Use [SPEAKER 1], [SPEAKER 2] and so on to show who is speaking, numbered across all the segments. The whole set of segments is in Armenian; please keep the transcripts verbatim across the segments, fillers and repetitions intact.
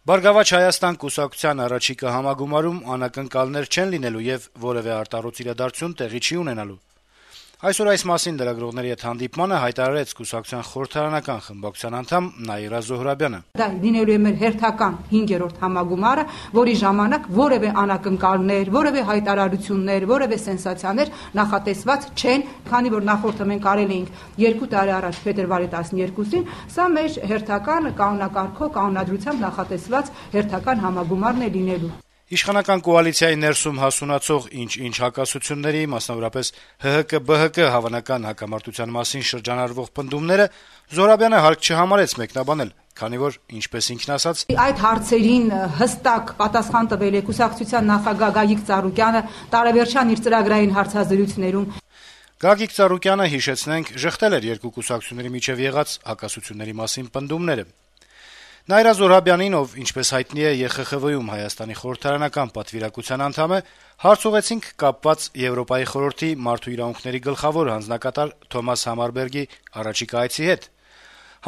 [SPEAKER 1] «Բարգավաճ Հայաստան» կուսակցության առաջիկա համագումարում անակնկալներ չեն լինելու եւ որեւէ արտառոց իրադարձություն տեղի չի ունենալու։ Այսօր այս մասին լրագրողների հետ հանդիպմանը հայտարարեց կուսակցության խորհրդարանական խմբակցության անդամ Նաիրա Զոհրաբյանը։
[SPEAKER 2] Դա լինելու է մեր հերթական հինգերորդ համագումարը, որի ժամանակ որևէ անակնկալներ, որևէ հայտարարություններ, որևէ սենսացիաներ նախատեսված չեն, քանի որ նախորդը մենք արել էինք երկու տարի առաջ փետրվարի տասներկուսին, սա մեր հերթական կանոնակարգով, կանոնադրությամբ նախատեսված հերթական համագումարն է լինելու։
[SPEAKER 1] Իշխանական կոալիցիայի ներսում հասունացող ինչ-ինչ հակասությունների, մասնավորապես Հ Հ Կ Բ Հ Կ հավանական հակամարտության մասին շրջանառվող պնդումները Զոհրաբյանը հարկ չհամարեց մեկնաբանել, քանի որ, ինչպես ինքն ասաց,
[SPEAKER 2] այդ հարցերին հստակ պատասխան տվել է կուսակցության նախագահ Գագիկ Ծառուկյանը տարեվերջան իր ծրագրային հարցազրույցներում։
[SPEAKER 1] Գագիկ Ծառուկյանը, հիշեցնենք, ժխտել էր երկու կուսակցությունների միջև եղած հակասությունների մասին պնդումները։ Նաիրա Զոհրաբյանին, ով ինչպես հայտնի է Ե Խ Խ V-ում Հայաստանի խորհրդարանական պատվիրակության անդամ է, հարց ուղեցինք կապված Եվրոպայի խորհրդի մարդու իրավունքների գլխավոր հանձնակատար Թոմաս Համարբերգի առաջիկա այցի հետ։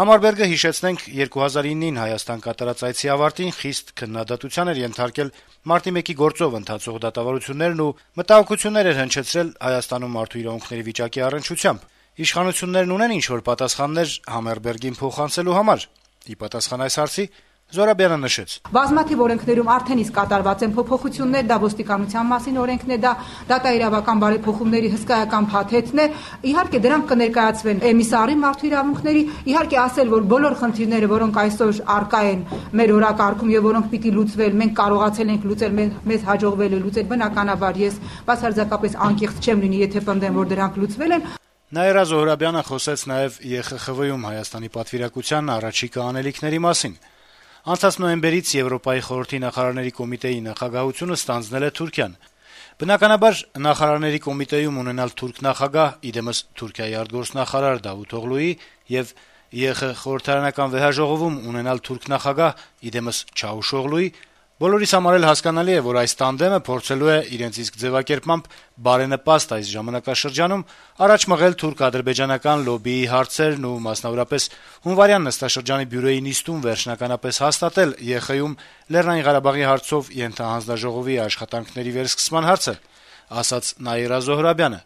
[SPEAKER 1] Համարբերգը, հիշեցնենք, երկու հազար իննին Հայաստան կատարած այցի ավարտին խիստ քննադատության էր ենթարկել մարտի մեկի գործով ընթացող դատավարություններն ու մտահոգություններ էր հնչեցրել Հայաստանում մարդու իրավունքների վիճակի առնչությամբ։ Իշխանություններն ունեն ինչ-որ պատասխաններ Համարբերգին փոխանցելու համար։ Ի պատասխան այս հարցի Զոհրաբյանը նշեց.
[SPEAKER 2] Բազմաթիվ օրենքներում արդեն իսկ կատարված են փոփոխություններ, դա ոստիկանության մասին օրենքն է, դա դատաիրավական բարեփոխումների հսկայական փաթեթն է։ Իհարկե դրանք կներկայացվեն էմիսարի մարդու իրավունքների, իհարկե ասել, որ բոլոր խնդիրները, որոնք այսօր առկա են մեր օրակարգում եւ որոնք պիտի լուծվել, մենք կարողացել ենք լուծել, մեզ հաջողվել է լուծել, բնականաբար ես բացարձակապես անկեղծ չեմ լինի, եթե պնդեմ, որ դրանք լուծվել են։
[SPEAKER 1] Նաիրա Զոհրաբյանը խոսեց նաեւ Ե Խ Խ V-ում Հայաստանի պատվիրակության առաջիկա անելիքների մասին։ Անցած նոյեմբերից Եվրոպայի խորհրդի նախարարների կոմիտեի նախագահությունը ստանձնել է Թուրքիան։ Բնականաբար նախարարների կոմիտեում ունենալ թուրք նախագահ, իդեմս Թուրքիայի արտգործնախարար Դավութ Օղլուի եւ Ե Խ խորհրդարանական վեհաժողովում ունենալ թուրք նախագահ, իդեմս Չավուշօղլուի բոլորիս համար էլ հասկանալի է, որ այս տանդեմը փորձելու է իրենց իսկ ձևակերպմամբ բարենպաստ այս ժամանակաշրջանում առաջ մղել թուրք-ադրբեջանական լոբիի հարցերն ու մասնավորապես հունվարյան նստաշրջանի բյուրոյի նիստում վերջնականապես հաստատել Ե Խ Յում Լեռնային Ղարաբաղի հարցով ենթահանձնաժողովի աշխատանքների վերսկսման հարցը, ասաց Նաիրա Զոհրաբյանը։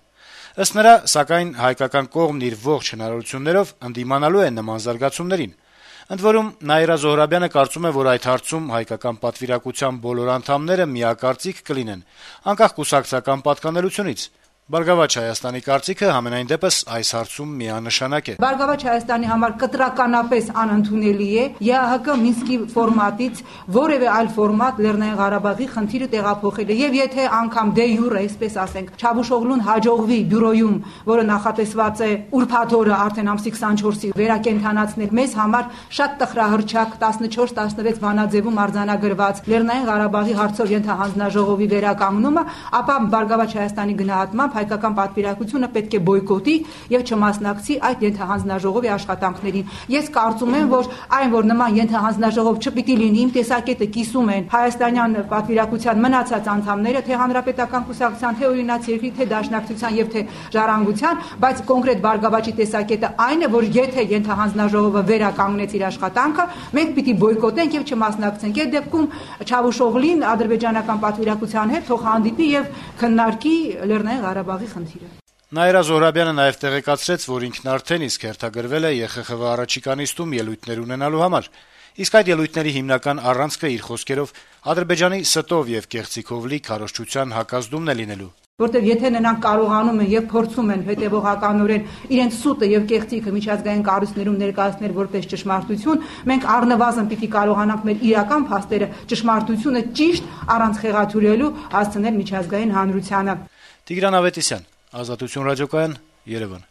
[SPEAKER 1] Ըստ նրա, սակայն հայկական կողմն իր ողջ հնարավորություններով ընդդիմանալու է նման զարգացումներին։ Ընդ որում, Նաիրա Զոհրաբյանը կարծում է, որ այդ հարցում հայկական պատվիրակության բոլոր անդամները միակարծիք կլինեն, անկախ կուսակցական պատկանելությունից։ Բարգավաճ Հայաստանի կարծիքը համենայն դեպս այս հարցում միանշանակ է։
[SPEAKER 2] Բարգավաճ Հայաստանի համար կտրականապես անընդունելի է Ե Հ Կ Մինսկի ֆորմատից որևէ այլ ֆորմատ Լեռնային Ղարաբաղի խնդիրը տեղափոխելը, եւ եթե անգամ դե յուրե, այսպես ասենք, Չավուշօղլուն հաջողվի բյուրոյում, որը նախատեսված է ուրբաթ օրը արդեն ամսի քսանչորսի վերակենդանացնել, մեզ համար շատ տխրահռչակ տասնչորս տասնվեց վանաձևում արձանագրված Լեռնային Ղարաբաղի հարցով ենթահանձնաժողովի վերականգնումը, ապա Բարգավաճ Հայաստանի գնահատմամբ հայկական պատվիրակությունը պետք է բոյկոտի եւ չմասնակցի այդ ենթահանձնաժողովի աշխատանքներին։ Ես կարծում եմ, որ այն, որ նման ենթահանձնաժողով չպիտի լինի, իմ տեսակետը կիսում են հայաստանյան պատվիրակության մնացած անդամները, թե հանրապետական կուսակցության, թե օրինաց երկրի, թե դաշնակցության եւ թե ժառանգության, բայց կոնկրետ Բարգավաճի տեսակետը այն է, որ եթե ենթահանձնաժողովը վերականգնեց իր աշխատանքը, մենք պիտի բոյկոտենք եւ չմասնակցենք։ Այդ դեպքում Չավուշօղլին ադրբեջանական պատվիրակության հետ թող հանդիպի եւ քննարկի Լեռնային Ղարաբաղի խնդիրը։
[SPEAKER 1] Նաիրա Զոհրաբյանը նաեւ տեղեկացրեց, որ ինքն արդեն իսկ հերթագրվել է Ե Խ Խ V առաջիկա նիստում ելույթներ ունենալու համար։ Իսկ այդ ելույթների հիմնական առանցքը իր խոսքերով Ադրբեջանի ստով եւ կեղծիքով լի քարոզչության հակազդումն է լինելու։
[SPEAKER 2] Որտեւ եթե նրանք կարողանում են եւ փորձում են հետեւողականորեն իրենց սուտը եւ կեղծիքը միջազգային կառույցներում ներկայացնել որպես ճշմարտություն, մենք առնվազն պիտի կարողանանք մեր իրական փաստերը, ճշմարտությունը ճիշտ առանց խեղաթյուրելու հասցնել միջազգային հանրությանը։
[SPEAKER 1] Տիգրան Ավետիսյան, Ազատություն ռադիոկայան, Երևան։